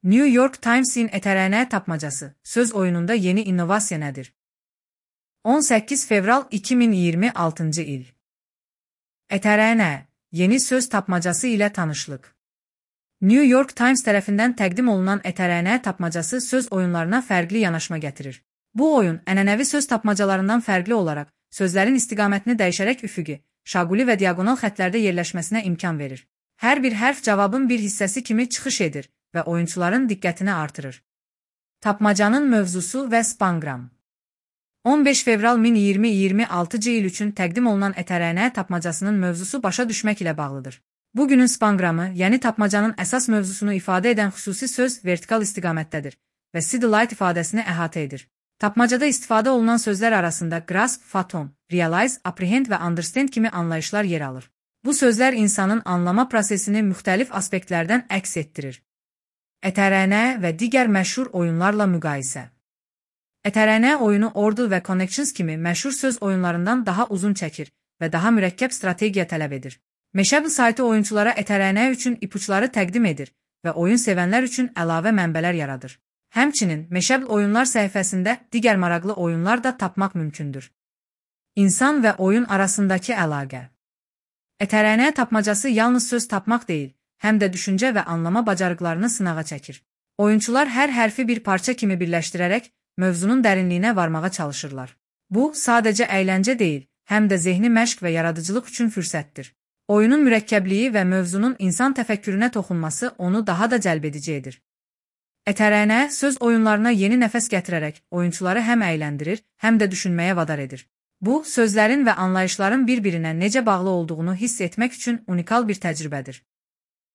New York Times'in ETRN tapmacası, söz oyununda yeni innovasiya nədir? 18 fevral 2026 il. ETRN, yeni söz tapmacası ilə tanışlıq. New York Times tərəfindən təqdim olunan ETRN tapmacası söz oyunlarına fərqli yanaşma gətirir. Bu oyun, ənənəvi söz tapmacalarından fərqli olaraq, sözlərin istiqamətini dəyişərək üfüqi, şaquli və diagonal xətlərdə yerləşməsinə imkan verir. Hər bir hərf cavabın bir hissəsi kimi çıxış edir və oyunçuların diqqətini artırır. Tapmacanın mövzusu və spanqram. 15 fevral 2026 il üçün təqdim olunan ETRN tapmacasının mövzusu başa düşmək ilə bağlıdır. Bugünün spanqramı, yəni tapmacanın əsas mövzusunu ifadə edən xüsusi söz vertikal istiqamətdədir və city light ifadəsini əhatə edir. Tapmacada istifadə olunan sözlər arasında grasp, fathom, realize, apprehend və understand kimi anlayışlar yer alır. Bu sözlər insanın anlama prosesini müxtəlif aspektlərdən əks etdirir. ETRN və digər məşhur oyunlarla müqayisə. ETRN oyunu Ordle və Connections kimi məşhur söz oyunlarından daha uzun çəkir və daha mürəkkəb strategiya tələb edir. Mashable saytı oyunçulara ETRN üçün ipuçları təqdim edir və oyun sevənlər üçün əlavə mənbələr yaradır. Həmçinin, Mashable oyunlar səhifəsində digər maraqlı oyunlar da tapmaq mümkündür. İnsan və oyun arasındakı əlaqə. ETRN tapmacası yalnız söz tapmaq deyil, həm də düşüncə və anlama bacarıqlarını sınağa çəkir. Oyunçular hər hərfi bir parça kimi birləşdirərək mövzunun dərinliyinə varmağa çalışırlar. Bu, sadəcə əyləncə deyil, həm də zehni məşq və yaradıcılıq üçün fürsətdir. Oyunun mürəkkəbliyi və mövzunun insan təfəkkürünə toxunması onu daha da cəlbedici edir. ETRN söz oyunlarına yeni nəfəs gətirərək oyunçuları həm əyləndirir, həm də düşünməyə vadar edir. Bu, sözlərin və anlayışların bir-birinə necə bağlı olduğunu hiss etmək üçün unikal bir təcrübədir.